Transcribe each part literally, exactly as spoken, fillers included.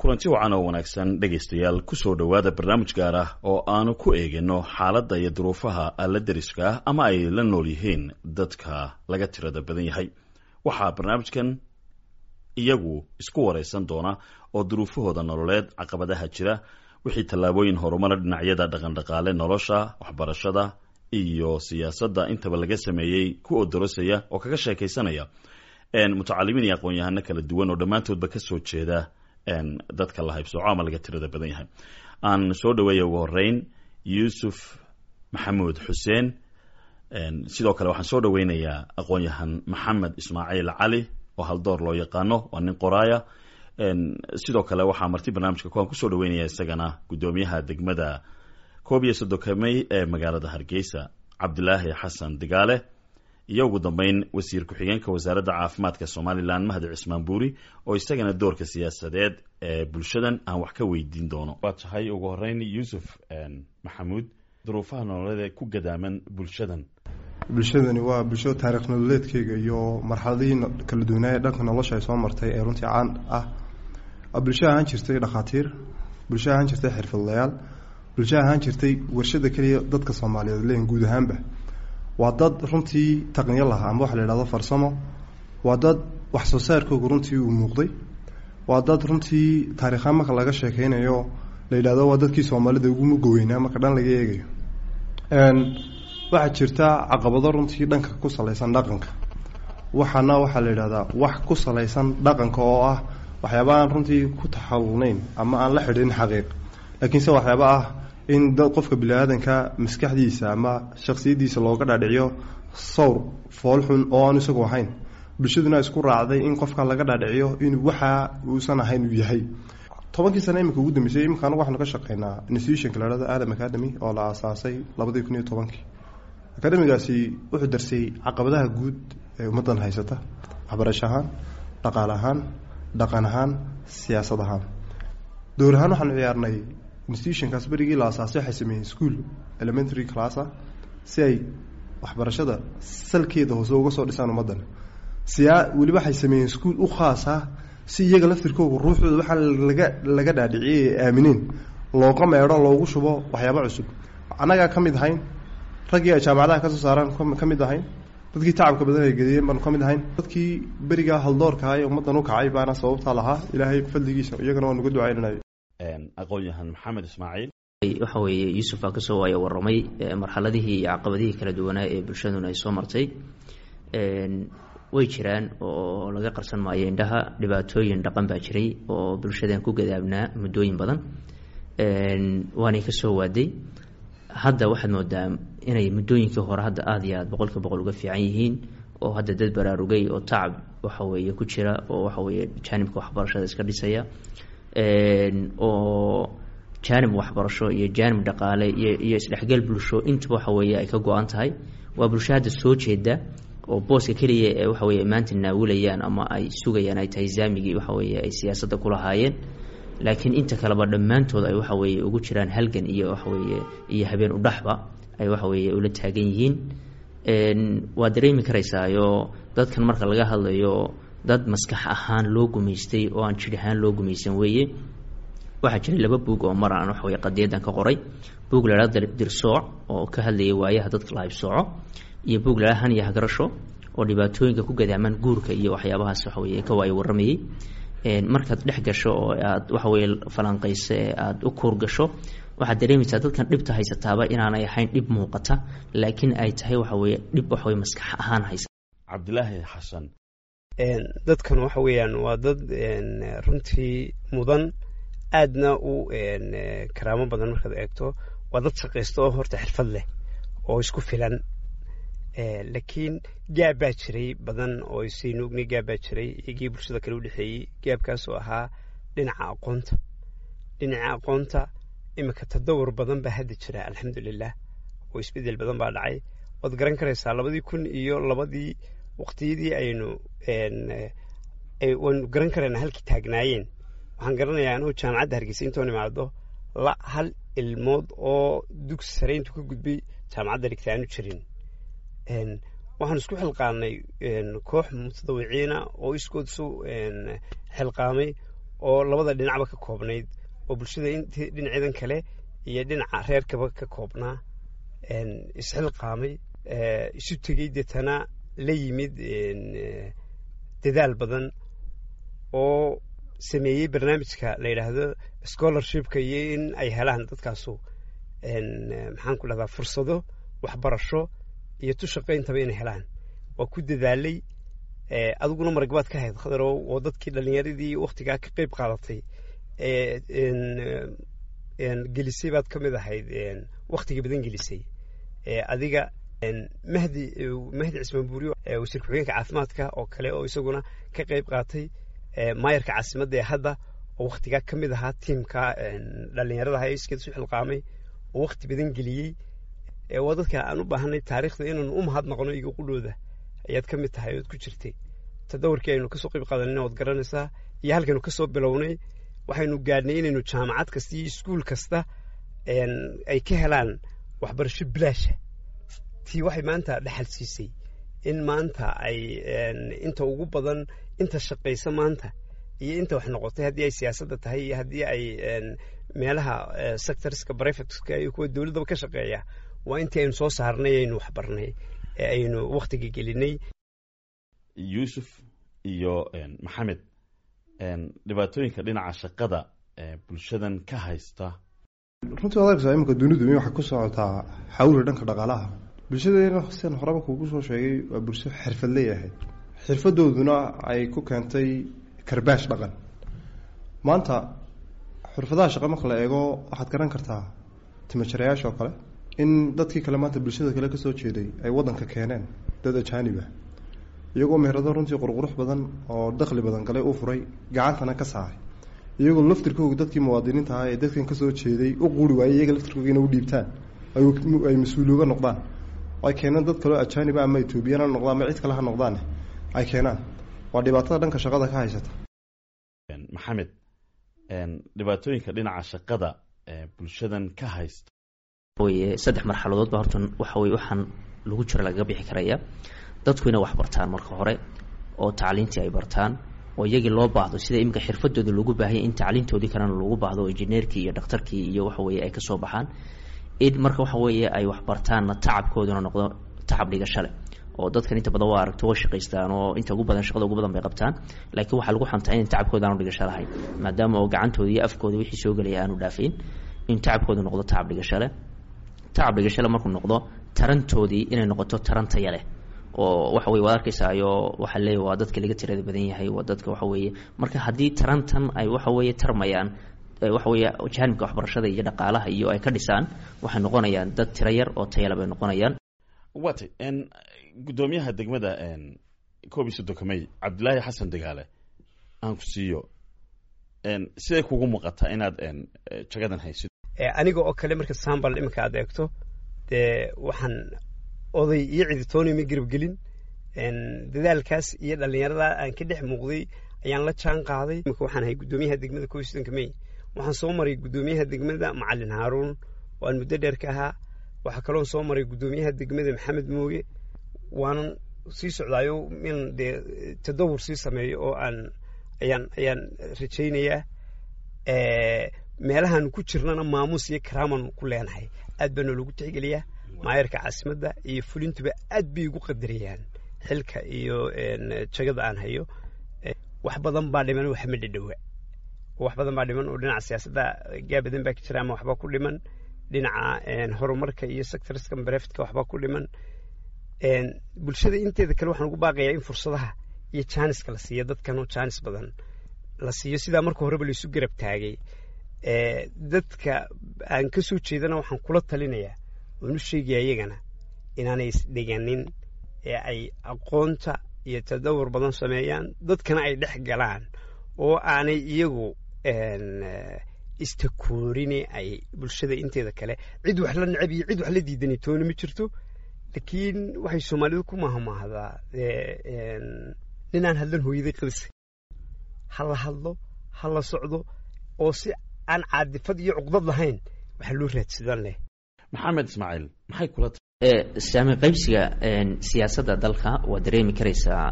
Kulanti wacan oo wanaagsan, dhegaystayaal. Kusoo dhowaada barnaamij gaar ah oo aanu ku eegino xaaladda iyo duruufaha alla deriska ah ama ay la nool yihiin dadka laga tirada badan yahay. Waxaa barnaamijkan iyagu isku waraysan doona oo duruufahooda nololeed, caqabadaha jira, wixii tallaabooyin horumara dhinacyada dhaqandhaqaale, nolosha, waxbarashada iyo siyaasadda intaba laga sameeyey ku odorosaya oo kaga sheekaysanaya mutacalimiin iyo aqoon-yahano kala duwan oo dhammaantoodba kasoo jeeda dadka la haybsooco ama laga tirada badan yahay. Aan soo dhaweeya ugu horeyn Yuusuf Maxamuud Xuseen. Sidoo kale waxaan soo dhaweynayaa aqoon-yahan Maxamed Ismaaciil Cali oo Haldoor loo yaqaano, waa nin qoraaya. Sidoo kale waxaa marti barnaamijka kuwaan kusoo dhaweynaya isagana guddoomiyaha degmada koob iyo soddonka May ee magaalada Hargeysa, Cabdilaahi Xasan Digaale, iyo ugu dambeyn wasiir ku-xigeenka Wasaaradda Caafimaadka Somalilan, Mahdi Cismaan Buuri, oo isagana doorka siyaasadeed ee bulshadan aan wax ka weydiin doono. Waa tahay, ugu horeyn Yuusuf Maxamuud, duruufaha nololeed ee ku gadaaman bulshadan. Bulshadani waa bulsho taarikh nololeedkeyga iyo marxaladihii kala duwanaaya dhanka nolosha ay soo martay ee runtii caan ah. Bulsho ahaan jirtay dhakhaatiir, bulsho ahaan jirtay xirfadlayaal, bulsho ahaan jirtay warshada keliya dadka Soomaaliyeed leeyihin guud ahaanba. Waa dad runtii taqniyo lahaa ama waxa la yidhahdo farsamo. Waa dad wax soo saarkooga runtii uu muuqday. Waa dad runtii taarikhaan marka laga sheekeynayo la yidhahdo waa dadkii Soomaalida ugu mugoweynaa marka dhan laga eegayo. Waxaa jirta caqabado runtii dhanka ku salaysan dhaqanka. Waxaana waxaa la yidhahdaa wax ku salaysan dhaqanka oo ah waxyaaba aan runtii ku taxalulnayn ama aan la xidhin xaqiiq, laakiinse waxyaaba ah in dad qofka bini-aadanka maskaxdiisa ama shaksiyaddiisa looga dhaadhiciyo sawr foolxun oo aan isagu ahayn, bulshaduna isku raacday in qofka laga dhaadhiciyo inuu waxa uusan ahayn uu yahay. Tobankii sane iminka ugu dambeysay, iminka anagu waxaanu ka shaqeynaa institutionka la hahdo Adam Academy oo la aasaasay labadii kun iyo tobankii. Academigaasi wuxuu darsay caqabadaha guud ee ummaddan haysata, waxbarasho ahaan, dhaqaale ahaan, dhaqan ahaan, siyaasad ahaan. Dowr ahaan waxaanu ciyaarnay institutionkaas berigii la asaasay, waxay sameeyeen school elementary class ah si ay waxbarashada salkeeda hoose uga soo dhisaan ummaddan. Siyaa weliba waxay sameeyeen school u khaas ah si iyaga laftirkooga ruuxooda waxaa laga laga dhaadhiciyay ee aamineen looga meedho, loogu shubo waxyaaba cusub. Annagaa ka mid ahayn raggii ay jaamacadaha kasoo saaraan, ka mid ahayn dadkii tacabka badan ay geliyeen baanu ka mid ahayn dadkii berigaa haldoorka ee ummaddan u kacay baana sababtaa lahaa. Ilaahay fadligiisa iyagana waan uga ducaynanay. Aqoon-yahan Maxamed Ismaaciil. Waxa weeye, Yuusuf baa kasoo waaya warramay marxaladihii iyo caqabadihii kala duwanaa ee bulshaduna ay soo martay. Way jiraan oo laga qarsan maayo indhaha, dhibaatooyin dhaqan baa jiray oo bulshadan ku gadaabnaa muddooyin badan, waanay kasoo waaday. Hadda waxaad moodaa inay muddooyinkii hore hadda aada iyo aada boqolkiiba boqol uga fiican yihiin, oo hadda dad baraarugay oo tacab waxa weeye ku jira oo waxa weeye jaanibka waxbarashada iska dhisaya, oo jaanib waxbarasho iyo jaanib dhaqaale iyo iyo isdhexgal bulsho intuba waxa weeye ay ka go-an tahay. Waa bulsho hadda soo jeeda oo booska keliya ee waxa weye maanta naawilayaan ama ay sugayaan ay tahay zaamigii waxa weeye ay siyaasadda ku lahaayeen, laakiin inta kaleba dhammaantood ay waxa weeye ugu jiraan halgan iyo waxa weeye iyo habeen udhaxba ay waxa weeye ula taagan yihiin. Waa dareemi karaysaayo dadkan marka laga hadlayo dad maskax ahaan loo gumaystay oo aan jir ahaan loo gumaysan weeye. Waxaa jiray laba buug oo mar aan waxa weye qadiyadan ka qoray: buug la hahda Dirsooc oo ka hadlayay waayaha dadka la haybsooco, iyo buug la Han iyo Hagarasho oo dhibaatooyinka ku gadaaman guurka iyo waxyaabahaas waxa weye ka waayo warramayay. Markaad dhex gasho oo aad waxa weye falanqayso ee aada u kuur gasho, waxaad dareemaysaa dadkan dhibta haysataaba inaanay ahayn dhib muuqata, laakiin ay tahay waxa weye dhib waxa weye maskax ahaan haysa. Cabdilaahi Xasan. Dadkan waxa weeyaan waa dad runtii mudan, aadna u karaamo badan. Markaad eegto, waa dad shaqaysta oo horta xirfad leh oo isku filan, laakiin gaab baa jiray badan oo isaynu ognay. Gaab baa jiray iyagii bulshada kale udhexeeyey, gaabkaas oo ahaa dhinaca aqoonta. Dhinaca aqoonta iminka tadawur badan baa hadda jira, alxamdulilah, oo isbedel badan baa dhacay. Waad garan karaysaa labadii kun iyo labadii waqtiyadii aynu waynu garan karaynaa halkii taagnaayeen. Waxaan garanayaa anuu Jaamacadda Hargeysa intoon imaado la hal ilmood oo dugsi sare intuu ka gudbay jaamacadda dhigta aanu jirin. Waxaan isku xilqaanay koox mutadawiciina oo iskood isu xilqaamay oo labada dhinacba ka koobnayd, oo bulshada int dhinaceedan kale iyo dhinaca reerkaba ka koobnaa, isxilqaamay, isu tegey, deetana la yimid dadaal badan oo sameeyey barnaamijka la yidhaahdo scholarshipka, iyo in ay helaan dadkaasu, maxaan ku dhahdaa, fursado waxbarasho iyo tu shaqayntaba inay helaan. Waa ku dadaalay. Adiguna maragbaad ka hayd, Khadarow, oo dadkii dhalinyaradii waktigaa ka qeyb qaadatay gelisay baad ka mid ahayd, waktiga badan gelisay adiga. Mahdi Mahdi Cismaan Buuriyo, wasiir ku-xigeenka caafimaadka oo kale, oo isaguna ka qeyb qaatay, maayarka caasimadda ee hadda oo waktigaa ka mid ahaa tiimka dhalinyaradaha ee iskeed isu xilqaamay oo wakti badan geliyey. Waa dadka aan u baahanay taariikhda inaanu u mahadnaqno. Iga qudhooda ayaad ka mid tahay ood ku jirtay tadawurkii aynu kasoo qayb qaadanayna, waad garanaysaa, iyo halkaynu kasoo bilownay. Waxaynu gaadhnay inaynu jaamacad kasta iyo iskuul kasta ay ka helaan waxbarasho bilaasha. Tii waxay maanta dhaxal siisay in maanta ay inta ugu badan, inta shaqaysa maanta iyo inta wax noqotay, haddii ay siyaasadda tahay iyo haddii ay meelaha sectorska privateska iyo kuwa dowladdaba ka shaqeeya, waa intii aynu soo saarnay, aynu waxbarnay, ee aynu waktiga gelinay. Yuusuf iyo Maxamed, dhibaatooyinka dhinaca shaqada bulshadan ka haysta? Runtii waad arkaysaa iminka dunidu in waxay ku socotaa xawli dhanka dhaqaalaha. Bulshadeena, sian horeba kuugu soo sheegay, waa bulsho xirfadley ahayd, xirfadooduna ay ku keentay karbaash dhaqan. Maanta xirfadaha shaqa marka la eego, waxaad garan kartaa timajarayaasha oo kale in dadkii kale maanta bulshada kale kasoo jeeday ay wadanka keeneen dad ajaanib ah, iyagoo meherado runtii qurqurux badan oo dakhli badan galay u furay, gacantana ka saaray, iyagoo laftirkooga dadkii muwaadiniinta ahaa ee dadkan kasoo jeeday u quuri waayey iyaga laftirkooga inay u dhiibtaan, ay mas-uuliyooga noqdaan, ay keeneen dad kaleo ajaaniba, ama Etoobiyaan ha noqdaan ama cid kale ha noqdaan, ay keenaan. Waa dhibaatada dhanka shaqada ka haysata. Maxamed, dhibaatooyinka dhinaca shaqada bulshadan ka haysta? Weye saddex marxaladood ba horta waxa weye waxaan lagu jiro lagaga bixi karaya. Dadku inay wax bartaan marka hore, oo tacliintii ay bartaan, oo iyagii loo baahdo, sida iminka xirfadooda loogu baahanya in tacliintoodii kalena loogu baahdo, oo injineerkii iyo dhakhtarkii iyo waxa weye ay kasoo baxaan. In marka waxa weeye ay wax bartaanna, tacabkooduna noqdo tacab dhigasho leh, oo dadkan inta badan waa aragto way shaqaystaan oo inta ugu badan shaqada ugu badan bay qabtaan, laakiin waxaa lagu xantaa in tacabkooda aanu dhigasho lahayn, maadaama oo gacantooda iyo afkooda wixii soo gelaya aanu dhaafayn. In tacabkooda noqdo tacab dhigasho leh, tacab dhigasho leh markuu noqdo, tarantoodii inay noqoto taran taya leh, oo waxa weye waad arkaysaayo waxaa leeyahy waa dadka laga tirada badan yahay, waa dadka waxa weeye. Marka haddii tarantan ay waxa weeye tarmayaan, waxa weeye jaanibka waxbarashada iyo dhaqaalaha iyo ay ka dhisaan, waxay noqonayaan dad tiro yar oo tayale bay noqonayaan. Watay guddoomiyaha degmada koob iyo soddonka May, Cabdilaahi Xasan Degaale, aan ku siiyo, siday kugu muuqataa inaad jagadan haysid? Aniga oo kale marka sambal iminka aad eegto, dee waxaan oday iyo ciditooni ma garab gelin. Dadaalkaas iyo dhalinyarada aan ka dhex muuqday ayaan la jaan qaaday. Imika waxaan ahay guddoomiyaha degmada koob iyo soddonka May. Waxaan soo maray guddoomiyaha degmada Macalin Haaruun oo aan muddo dheer ka ahaa. Waxaa kaloon soo maray guddoomiyaha degmada Maxamed Mooge, waanan sii socdaayo in dee tadawur sii sameeyo oo aan ayaan ayaan rajaynayaa. Meelahaan ku jirnana maamuus iyo karaaman ku leenahay, aad baa noolagu tixgeliyaa. Maayarka caasimadda iyo fulintuba aad bay igu qadariyaan xilka iyo jagada aan hayo. Wax badan baa dhiman, wax ma dhadhowa, wax badan baa dhiman oo dhinaca siyaasadda gaa badan baa ka jira ama waxbaa ku dhiman, dhinaca horumarka iyo sectorska brefitka waxbaa ku dhiman. Bulshada inteeda kale waxaan ugu baaqayaa in fursadaha iyo jaaniska la siiyo dadkan, oo jaanis badan la siiyo, sidaa marka horeba laisu garab taagay. Dadka aan ka soo jeedana waxaan kula talinayaa oon u sheegaya iyagana inaanay isdhiganin ee ay aqoonta iyo tadawur badan sameeyaan, dadkana ay dhex galaan oo aanay iyagu istakoorini, ay bulshada inteeda kale cid wax la necab iyo cid wax la diidani toona ma jirto. Laakiin waxay Soomaalidu ku mahmaahdaa, ninaan hadlan hooyaday qadisay. Ha la hadlo, ha la socdo, oo si aan caadifad iyo cuqdad lahayn waxaa loo raadsadan leh. Maxamed Ismaaciil, maxay kula Saami qaybsiga siyaasadda dalka waa dareemi karaysaa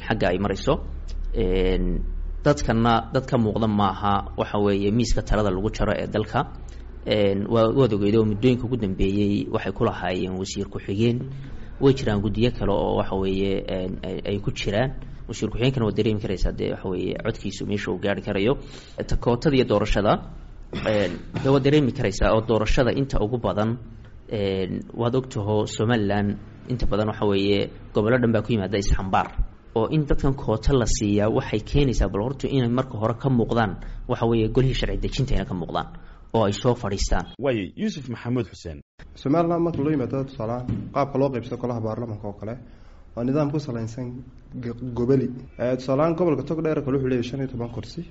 xagga ay marayso. Dadkana dad ka muuqda maaha waxa weeye miiska talada lagu jaro ee dalka. Waa waad ogeyd oo muddooyinka ugu dambeeyey waxay ku lahaayeen wasiir ku-xigeen, way jiraan guddiyo kale oo waxa weeye ay ku jiraan. Wasiir ku-xigeenkana waad dareemi karaysaa dee waxa weeye codkiisu meesha uu gaari karayo. Takootada iyo doorashada dee waad dareemi karaysaa oo doorashada inta ugu badan waad ogtaho Somaliland inta badan waxa weeye gobollo dhan baa ku yimaada isxambaar, oo in dadkan koota la siiyaa waxay keenaysaa bal horta inay marka hore ka muuqdaan waxa weeye golihii sharci dejinta inay ka muuqdaan oo ay soo fadhiistaan. Waaye Yuusuf Maxamuud Xuseen, Somaliland marka loo yimaado tusaalahaan qaabka loo qaybsado golaha baarlamanka oo kale waa nidaam ku salaysan goboli. Tusaalahaan gobolka Togdheer kale wuxuu leeyahy shan iyo toban kursi,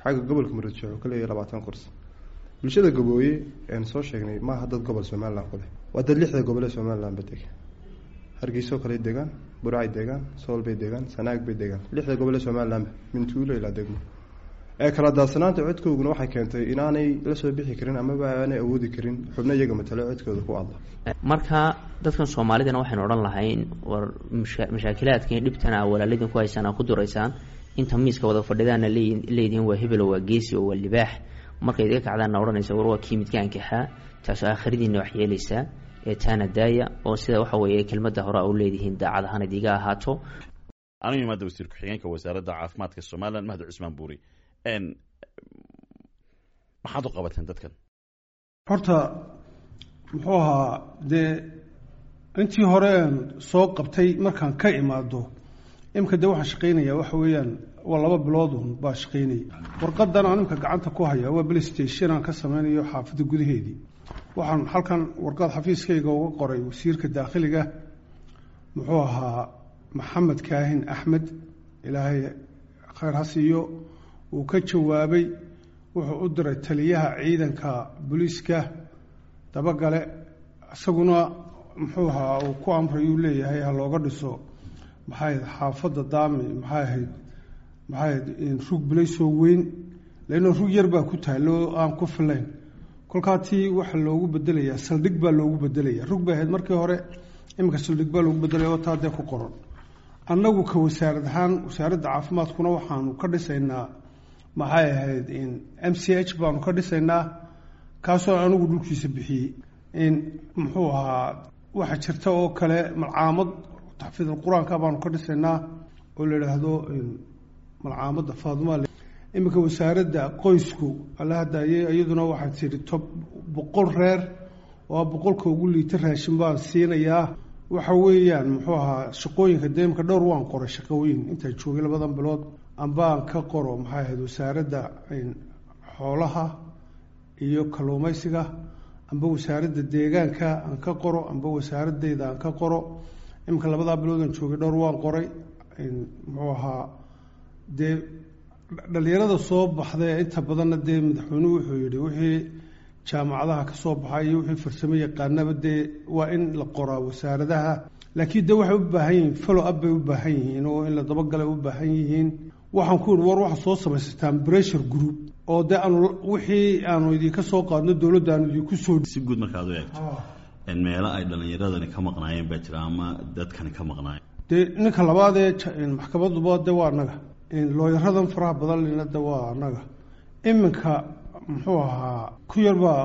xagga gobolka Murudshe wuxuu ka leeyahy labaatan kursi. Bulshada Gabooye eanu soo sheegnay maaha dad gobol Somaliland ku leh, waa dad lixda gobol ee Somaliland ba dega. Hargeyso kale degaan, Burcay degaan, Sool bay degaan, Sanaag bay degaan, lixda gobol ee Somalilandba mintuulo ilaa degmo. Ee kala daadsanaanta codkooguna waxay keentay inaanay la soo bixi karin amaba aanay awoodi karin xubno iyaga matalo codkooda ku adla. Marka dadkan Soomaalidana waxaynu odhan lahayn war mashaakilaadkan iyo dhibtana walaaladin ku haysaan aa ku duraysaan, inta miiska wada fadhidaana leedihiin waa hebel oo waa geesi oo waa libaax, markay idiga kacdaanna odhanaysa war waa kii midka ankaxaa, taasoo aakhiradiina wax yeelaysaa ee taana daaya oo sida waxa weeye kelmadda hore a u leedihiin daacad ahaan idiga ahaato. Anigu imaada wasiir ku-xigeenka wasaaradda caafimaadka Somaliland Mahdi Cusmaan Buuri, maxaad u qabateen dadkan? Horta muxuu ahaa dee intii hore aan soo qabtay markaan ka imaado imika dee waxaan shaqaynayaa waxa weeyaan waa laba biloodun baa shaqaynaya. Warqadan aan imika gacanta ku haya waa police station aan ka sameynayo xaafadda gudaheedii. Waxaan halkan warqad xafiiskayga uga qoray wasiirka daakhiliga muxuu ahaa Maxamed Kaahin Axmed, ilaahay khayr ha siiyo, uu ka jawaabay. Wuxuu u diray taliyaha ciidanka booliiska dabagale, isaguna muxuu ahaa uu ku amray uu leeyahay ha looga dhiso maxay ahayd xaafadda Daami, maxay ahayd maxay ahayd rug bilaysoo weyn, leanna rug yar baa ku taallo aan ku filayn. Kolkaa tii waxaa loogu bedelayaa saldhig baa loogu bedelaya, rug bay ahayd markii hore, iminka saldhig baa loogu bedelaya oo taa dee ku qoran. Annagu ka wasaarad ahaan wasaaradda caafimaadkuna waxaanu ka dhisaynaa maxay ahayd M C H baanu ka dhisaynaa, kaasoo anigu dhulkiisa bixiyey. In muxuu ahaa waxaa jirta oo kale malcaamad taxfiidul qur-aanka baanu ka dhisaynaa oo la yidhaahdo malcaamadda Faaduma. Iminka wasaaradda qoysku alla hadaaye iyaduna waxaa tidhi tob boqol reer oo boqolka ugu liita raashin baan siinayaa. Waxa weeyaan muxuu ahaa shaqooyinka dee imika dhowr waan qoray shaqooyin intaan joogay labadan bilood ambaan ka qoro maxay ahayd wasaaradda xoolaha iyo kalluumaysiga, amba wasaaradda deegaanka aan ka qoro, amba wasaaradayda aan ka qoro. Iminka labadaa bilood aan joogay dhowr waan qoray. Muxuu ahaa dee dhalinyarada soo baxday inta badanna dee madaxweynuhu wuxuu yidhi wixii jaamacadaha ka soo baxay iyo wixii farsamo yaqaanaba dee waa in la qoraa wasaaradaha, laakiin dee waxay u baahan yihiin follow up bay u baahan yihiin oo in la dabagalay u baahan yihiin. Waxaan ku yidhi war waxaad soo samaysataan pressure group oo dee aanu wixii aanu idinka soo qaadno dowladda aanu idinku soo si guud markaad u eegto meelo ay dhallinyaradani ka maqnaayeen baa jira ama dadkani ka maqnaayeen. Dee ninka labaad ee maxkamaduba de waa annaga, looyaradan faraha badan lina de waa annaga. Iminka muxuu ahaa ku yar baa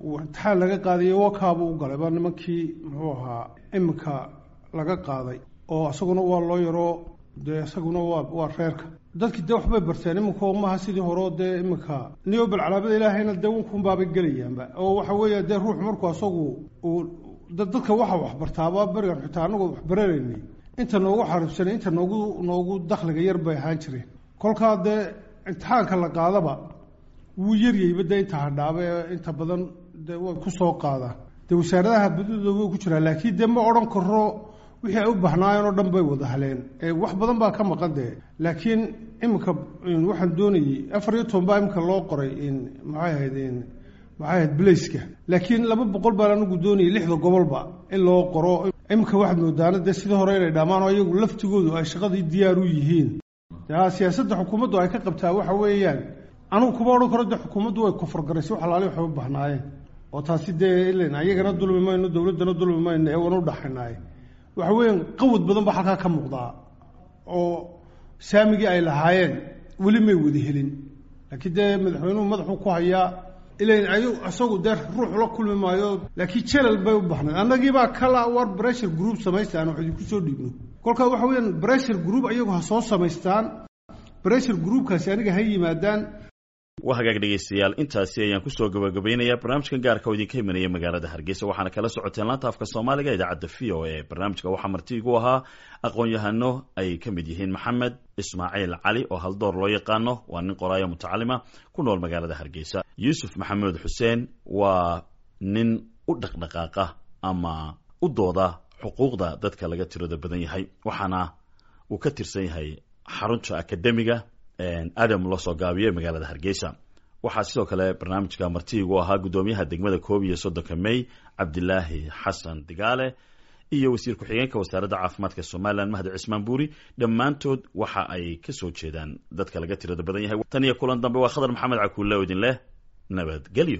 imtixaan laga qaadayo wakaaba u galay baa nimankii muxuu ahaa iminka laga qaaday oo isaguna waa loo yaroo dee isaguna waa waa reerka. Dadkii dee waxbay barteen iminka maaha sidii horeo dee iminka niyobal calaamada ilaahayna dee wankunbaabay gelayaanba oo waxa weeya dee ruux markuu asagu uu dadka waxa waxbartaaba berigan xitaa anagoo waxbaranaynay inta noogu xariibsanay inta noogu noogu dakhliga yar bay ahaan jireen. Kolkaa dee imtixaanka la qaadaba wuu yaryayba dee inta hadhaaba ee inta badan dee way ku soo qaadaan dee wasaaradaha badidooda way ku jiraan, laakiin dee ma odhan karo wixii ay u bahnaayeen oo dhan bay wada haleen, wax badan baa ka maqan dee. Laakiin iminka waxaan doonayey afar iyo toban baa iminka loo qoray maxay ahayd maxay ahayd bilayska, laakiin laba boqol baan anigu doonayay lixda gobolba in loo qoro. Iminka waxaad moodaana dee sidii hore inay dhammaan oo iyagu laftigoodu ay shaqadii diyaar u yihiin. Siyaasadda xukuumaddu ay ka qabtaa waxa weeyaan anugu kuma odhan karo dee xukuumaddu way kofargaraysay wax alaali waxay u bahnaayeen oo taasi dee ilen ayagana dulmi mayno dowladdana dulmi mayno ee wana u dhaxaynaaye. Waxa weeyaan qawad badan baa halkaa ka muuqdaa oo saamigii ay lahaayeen Weli may wada helin, laakiin dee madaxweynuhu madaxuu ku hayaa ilan ayu isagu dee ruux la kulmi maayo, laakiin jalal bay u baxnayd. Annagiibaa kala war pressure group samaystaan wax idinku soo dhiibno. Kolkaa waxa weeyaan pressure group ayagu ha soo samaystaan, pressure groupkaasi aniga ha yimaadaan. Waa hagaag dhegeystayaal, intaasi ayaan kusoo gabagabaynayaa barnaamijkan gaarka oo idinka imanaya magaalada Hargeysa. Waxaana kala socoteen laanta afka Soomaaliga idaacadda V O A. Barnaamijka waxaa marti igu ahaa aqoon-yahano ay ka mid yihiin Maxamed Ismaaciil Cali oo haldoor loo yaqaano, waa nin qoraayo mutacalima ku nool magaalada Hargeysa. Yuusuf Maxamuud Xuseen waa nin u dhaqdhaqaaqa ama u dooda xuquuqda dadka laga tirada badan yahay, waxaana uu ka tirsan yahay xarunta akademiga Adam loo soo gaabiyo magaalada Hargeysa. Waxaa sidoo kale barnaamijka marti igu ahaa guddoomiyaha degmada koob iyo soddonka May Cabdilaahi Xasan Digaale iyo wasiir ku-xigeenka wasaaradda caafimaadka Somalilan Mahdi Cismaan Buuri. Dhammaantood waxa ay ka soo jeedaan dadka laga tirada badan yahay. Tan iyo kulan dambe, waa Khadar Maxamed Cakuule oo idin leh nabadgelyo.